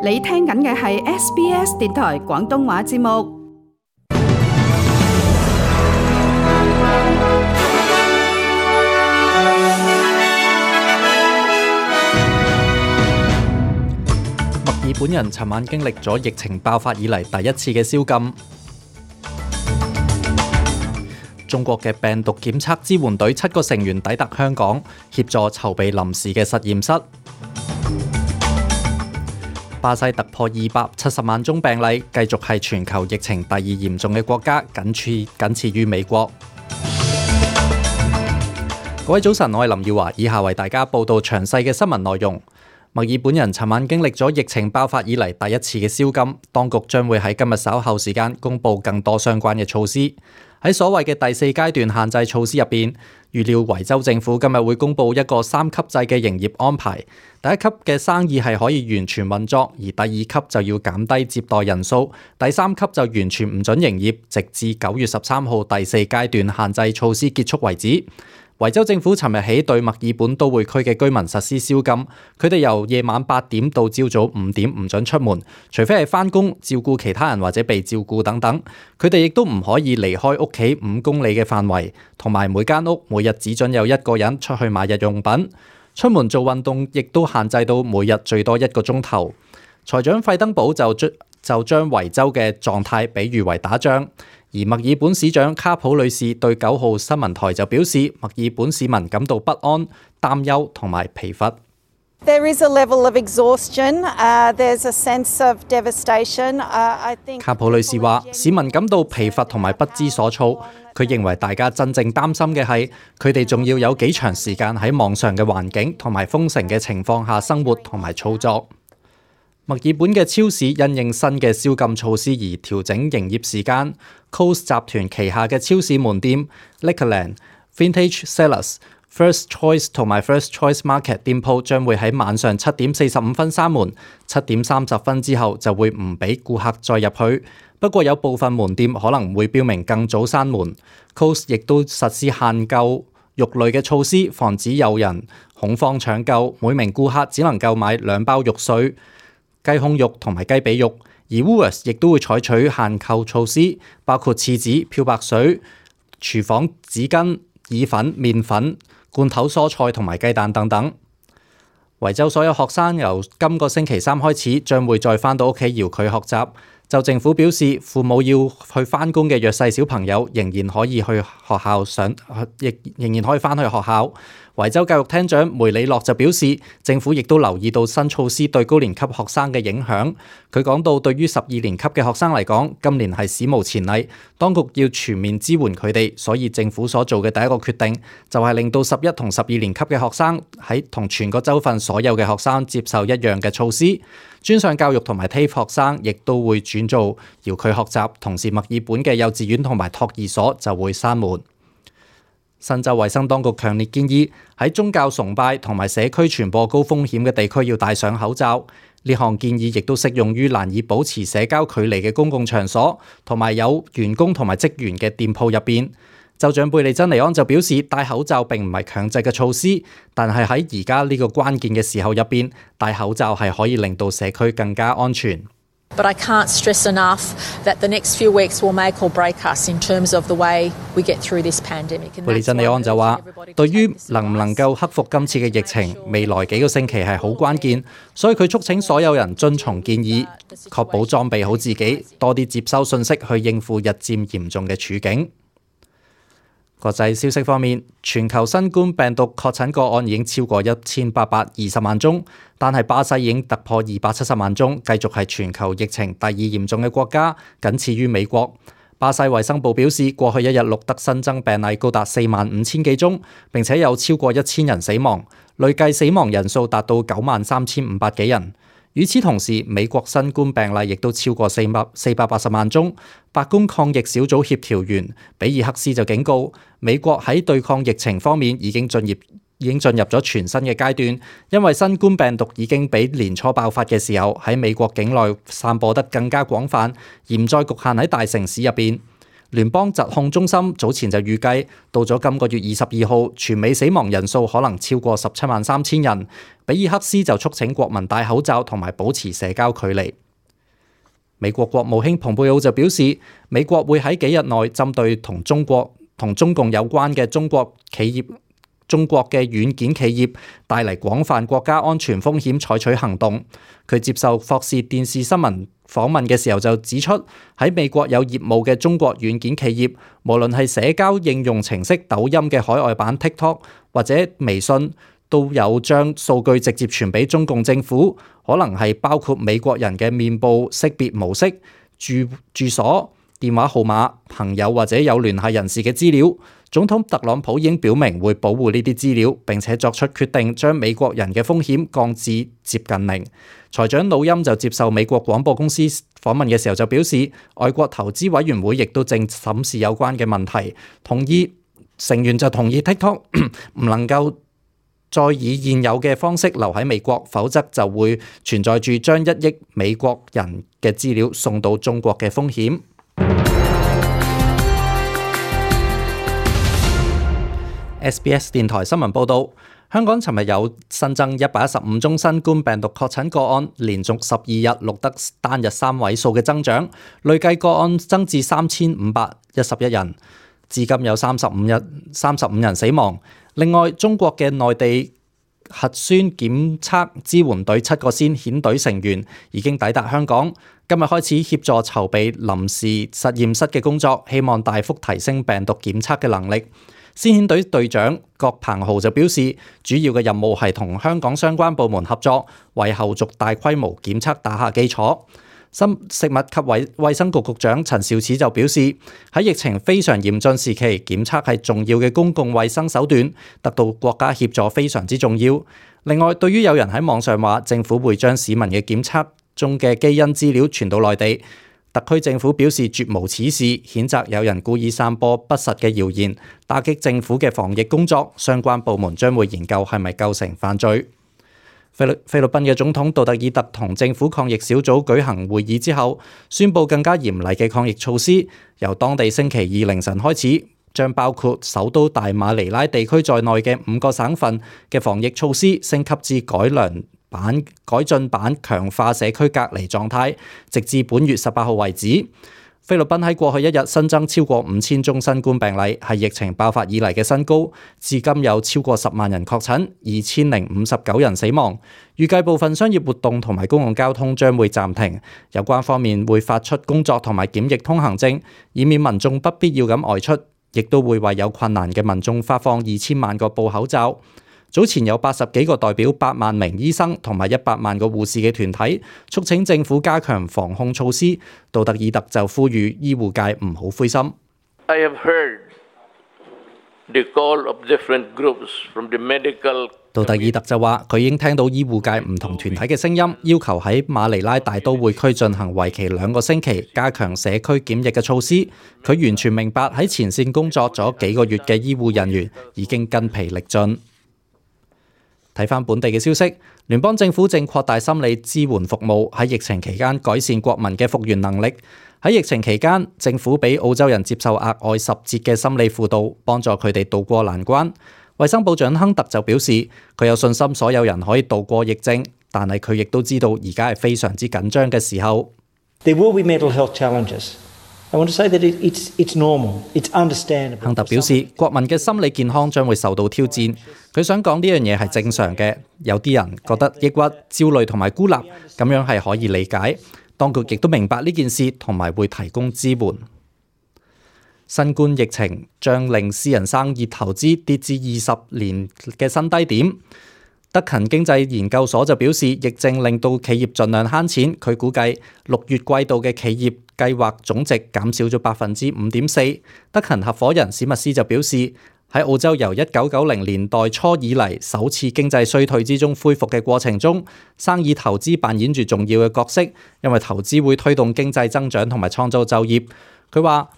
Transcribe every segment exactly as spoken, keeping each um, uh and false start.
你聽緊嘅係 S B S 電台廣東話節目。墨爾本人尋晚經歷咗疫情爆發以嚟第一次嘅宵禁。中國嘅病毒檢測支援隊七個成員抵達香港，協助籌備臨時嘅實驗室。巴西突破二百七十萬宗病例，繼續係全球疫情第二嚴重嘅國家，僅次僅次於美國。各位早晨，我係林耀華，以下為大家報道詳細嘅新聞內容。墨爾本人尋晚經歷咗疫情爆發以嚟第一次嘅宵禁，當局將會喺今日稍後時間公布更多相關嘅措施。喺所謂嘅第四階段限制措施入邊，預料維州政府今日會公布一個三級制嘅營業安排。第一級嘅生意係可以完全運作，而第二級就要減低接待人數，第三級就完全唔准營業，直至九月十三號第四階段限制措施結束為止。維州政府尋日起對墨爾本都會區嘅居民實施宵禁，佢哋由夜晚八點到朝早五點唔准出門，除非係返工、照顧其他人或者被照顧等等。佢哋亦都唔可以離開屋企五公里嘅範圍，同埋每間屋每日只准有一個人出去買日用品。出門做運動亦都限制到每日最多一個鐘頭。財長費登堡就將就將維州嘅狀態比喻為打仗。而墨爾本市長卡普女士對九號新聞台就表示，墨爾本市民感到不安、擔憂同埋疲乏。There is a level of exhaustion. Uh, there's a sense of devastation. Uh, I think 卡普女士話，市民感到疲乏同埋不知所措。佢認為大家真正擔心嘅係，佢哋仲要有幾長時間喺網上嘅環境同埋封城嘅情況下生活同埋操作。墨爾本嘅超市因應新嘅宵禁措施而調整營業時間。Coles 集團旗下嘅超市門店 Liquorland、Vintage Cellars、First Choice 同埋 First Choice Market 店鋪將會喺晚上七點四十五分閂門，七點三十分之後就會唔俾顧客再入去。不過有部分門店可能會標明更早閂門。Coles 亦都實施限購肉類嘅措施，防止有人恐慌搶購。每名顧客只能夠買兩包肉碎、雞胸肉同埋雞髀肉。而 Woolworths 亦都會採取限購措施，包括廁紙、漂白水、廚房紙巾、意粉、麵粉、罐頭蔬菜同埋雞蛋等等。維州所有學生由今個星期三開始將會再返到屋企遙距學習。就政府表示，父母要去返工嘅弱勢小朋友仍然可以去學校上，亦仍然可以返去學校。維州教育廳長梅里諾就表示，政府亦都留意到新措施對高年級學生嘅影響。佢講到，對於十二年級嘅學生嚟講，今年係史無前例，當局要全面支援佢哋，所以政府所做嘅第一個決定就係令到十一同十二年級嘅學生喺同全個州份所有嘅學生接受一樣嘅措施。專上教育同埋 T A F E 學生亦都會轉做遙距學習，同時墨爾本嘅幼稚園同埋托兒所就會閂門。新州衛生當局強烈建議喺宗教崇拜同埋社區傳播高風險嘅地區要戴上口罩。呢項建議亦都適用於難以保持社交距離嘅公共場所，同埋有員工同埋職員嘅店鋪入邊。州長貝利珍尼安就表示，戴口罩並唔係強制嘅措施，但係喺而家呢個關鍵嘅時候入邊，戴口罩係可以令到社區更加安全。But I can't stress enough that the next few weeks will make or break us in terms of the way we get through this pandemic. 貝利珍尼安就話，對於能唔能夠克服今次嘅疫情，未來幾個星期係好關鍵，所以佢促請所有人遵從建議，確保裝備好自己，多啲接收信息去應付日漸嚴重嘅處境。國際消息方面，全球新冠病毒確診個案已經超過一千八百二十萬宗，但係巴西已經突破二百七十萬宗，繼續係全球疫情第二嚴重嘅國家，僅次於美國。巴西衛生部表示，過去一日錄得新增病例高達四萬五千幾宗，並且有超過一千人死亡，累計死亡人數達到九萬三千五百幾人。與此同時，美國新冠病例亦都超過四百四百八十萬宗。白宮抗疫小組協調員比爾克斯就警告，美國喺對抗疫情方面已經進入已經進入咗全新嘅階段，因為新冠病毒已經比年初爆發嘅時候喺美國境內散播得更加廣泛，而唔再局限喺大城市入邊。聯邦疾控中心早前就預計，到咗今個月二十二號，全美死亡人數可能超過十七萬三千人。比爾克斯就促請國民戴口罩同埋保持社交距離。美國國務卿蓬佩奧就表示，美國會喺幾日內針對同中國同中共有關嘅中國企業、中國嘅軟件企業帶嚟廣泛國家安全風險採取行動。佢接受霍士電視新聞訪問嘅時候就指出，喺美國有業務嘅中國軟件企業，無論係社交應用程式抖音嘅海外版 TikTok 或者微信，都有將數據直接傳俾中共政府，可能係包括美國人嘅面部識別模式、住住所、電話號碼、朋友或者有聯繫人士嘅資料。總統特朗普已經表明會保護呢啲資料，並且作出決定將美國人嘅風險降至接近零。財長努欽就接受美國廣播公司訪問嘅時候就表示，外國投資委員會亦都正審視有關嘅問題，同意成員就同意 TikTok 唔能夠再以現有嘅方式留喺美國，否則就會存在住將一億美國人嘅資料送到中國嘅風險。S B S 電台新聞報導，香港尋日有新增一百一十五宗新冠病毒確診個案，連續十二日錄得單日三位數嘅增長，累計個案增至三千五百一十一人，至今有三十五日三十五人死亡。另外，中國嘅內地核酸檢測支援隊七個先遣隊成員已經抵達香港，今日開始協助籌備臨時實驗室嘅工作，希望大幅提升病毒檢測嘅能力。先遣隊隊長郭鵬豪就表示，主要嘅任務係同香港相關部門合作，為後續大規模檢測打下基礎。食物及衛生局局長陳肇始就表示，喺疫情非常嚴峻時期，檢測係重要嘅公共衛生手段，得到國家協助非常之重要。另外，對於有人喺網上話政府會將市民嘅檢測中嘅基因資料傳到內地，特區政府表示絕無此事，譴責有人故意散播不實嘅謠言，打擊政府嘅防疫工作。相關部門將會研究係咪構成犯罪。菲律菲律賓嘅總統杜特爾特同政府抗疫小組舉行會議之後，宣布更加嚴厲嘅抗疫措施，由當地星期二凌晨開始，將包括首都大馬尼拉地區在內嘅五個省份嘅防疫措施升級至改良版、改進版強化社區隔離狀態，直至本月十八號為止。菲律賓喺過去一日新增超過五千宗新冠病例，係疫情爆發以嚟嘅新高。至今有超過十萬人確診，二千零五十九人死亡。預計部分商業活動同埋公共交通將會暫停。有關方面會發出工作同埋檢疫通行證，以免民眾不必要咁外出。亦都會為有困難嘅民眾發放二千萬個布口罩。早前有八十幾個代表八萬名醫生同埋一百萬個護士嘅團體促請政府加強防控措施，杜特爾特就呼籲醫護界唔好灰心。I have heard the call of different groups from the medical。杜特爾特就話：佢已經聽到醫護界唔同團體嘅聲音，要求喺馬尼拉大都會區進行為期兩個星期加強社區檢疫嘅措施。佢完全明白喺前線工作咗幾個月嘅醫護人員已經筋疲力盡。睇返本地嘅消息，聯邦政府正擴大心理支援服務，喺疫情期間改善國民嘅復原能力。喺疫情期間，政府俾澳洲人接受額外十節嘅心理輔導，幫助佢哋渡過難關。衛生部長亨特就表示，佢有信心所有人可以渡過疫症，但係佢亦都知道而家係非常之緊張嘅時候。There will be mental health challenges. I want to say that it's it's normal. It's understandable. 亨特表示，國民嘅心理健康將會受到挑戰。佢想講呢樣嘢係正常嘅。有啲人覺得抑鬱、焦慮同埋孤立，咁樣係可以理解。當局亦都明白呢件事，同埋會提供支援。新冠疫情將令私人生意投資跌至二十年嘅新低點。德勤經濟研究所就表示，疫症令到企業盡量慳錢。佢估計六月季度嘅企業計劃總值減少咗百分之五點四。德勤合夥人史密斯就表示，喺澳洲由一九九零年代初以嚟首次經濟衰退之中恢復嘅過程中，生意投資扮演住重要嘅角色，因為投資會推動經濟增長同埋創造就業。佢話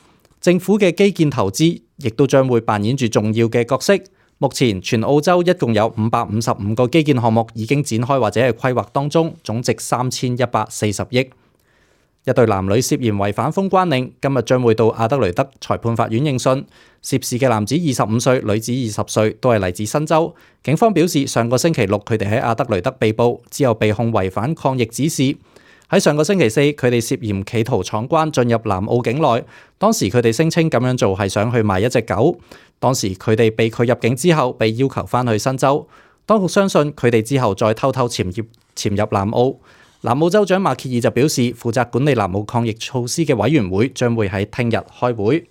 政府嘅基建投資亦都將會扮演住重要嘅角色。目前全澳洲一共有五百五十五個基建項目已經展開或者係規劃當中，總值三千一百四十億。一對男女涉嫌違反封關令，今日將會到阿德雷德裁判法院應訊。涉事嘅男子二十五歲，女子二十歲，都係嚟自新州。警方表示，上個星期六佢哋喺阿德雷德被捕，之後被控違反抗疫指示。喺上個星期四，佢哋涉嫌企圖闖關進入南澳境內，當時佢哋聲稱咁樣做係想去賣一隻狗。當時佢哋被拒入境之後，被要求返去新州。當局相信佢哋之後再偷偷潛入潛入南澳。南澳州長馬歇爾就表示，負責管理南澳抗疫措施嘅委員會將會喺聽日開會。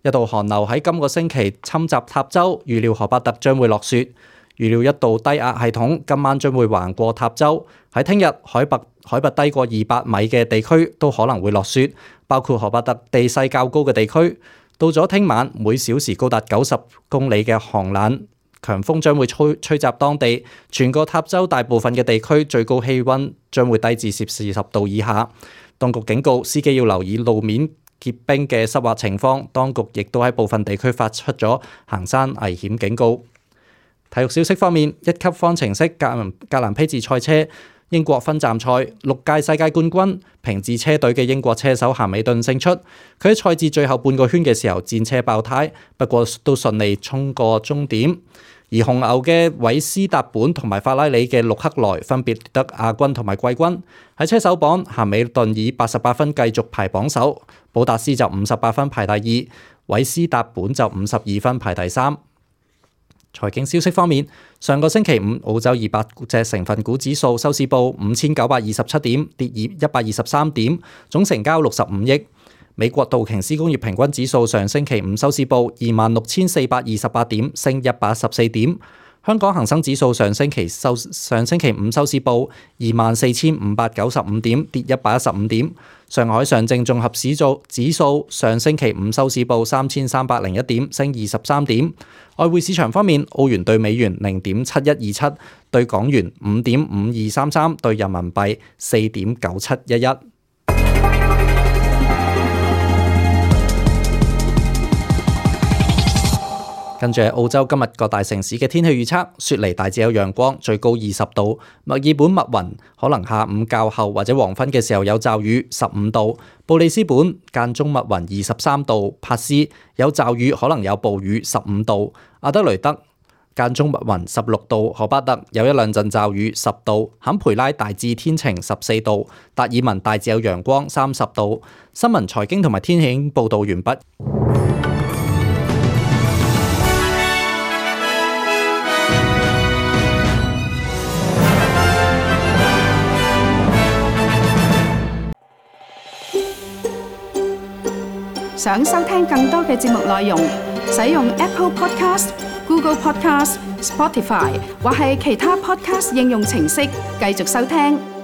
一道寒流喺今個星期侵襲塔州，預料荷伯特將會落雪。預料一道低壓系統今晚將會橫過塔州，喺聽日海拔海拔低過二百米嘅地區都可能會落雪，包括荷伯特地勢較高嘅地區。到咗聽晚，每小時高達九十公里嘅寒冷強風將會吹吹襲當地，全個塔州大部分嘅地區最高氣溫將會低至攝氏十度以下。當局警告司機要留意路面結冰嘅濕滑情況，當局亦都喺部分地區發出咗行山危險警告。體育消息方面，一級方程式格蘭格蘭披治賽車英國分站賽，六屆世界冠軍平治車隊嘅英國車手咸美頓勝出。佢喺賽至最後半個圈嘅時候戰車爆胎，不過都順利衝過終點。而紅牛嘅韋斯達本同埋法拉利嘅陸克萊分別得亞軍同埋季軍。喺車手榜，咸美頓以八十八分繼續排榜首，保達斯就五十八分排第二，韋斯達本就五十二分排第三。財經消息方面，上個星期五澳洲二百隻成分股指數收市報五千九百二十七點，跌一百二十三點，總成交六十五億。美國道瓊斯工業平均指數上星期五收市報二萬六千四百二十八點，升一百一十四點。香港恒生指數上星期收上星期五收市報二萬四千五百九十五點，跌一百一十五點。上海上證綜合指數指數上星期五收市報三千三百零一點，升二十三點。外匯市場方面，澳元對美元零點七一二七，對港元五點五二三三，對人民幣四點九七一一。跟住係澳洲今日各大城市嘅天氣預測，雪梨大致有陽光，最高二十度；墨爾本密雲，可能下午較後或者黃昏嘅時候有驟雨，十五度；布里斯本間中密雲，二十三度；帕斯有驟雨，可能有暴雨，十五度；阿德雷德間中密雲，十六度；荷巴特有一兩陣驟雨，十度；坎培拉大致天晴，十四度；達爾文大致有陽光，三十度。新聞財經同埋天氣報導完畢。想收聽更多嘅節目內容，使用 Apple Podcast、Google Podcast、Spotify 或係其他 Podcast 應用程式繼續收聽。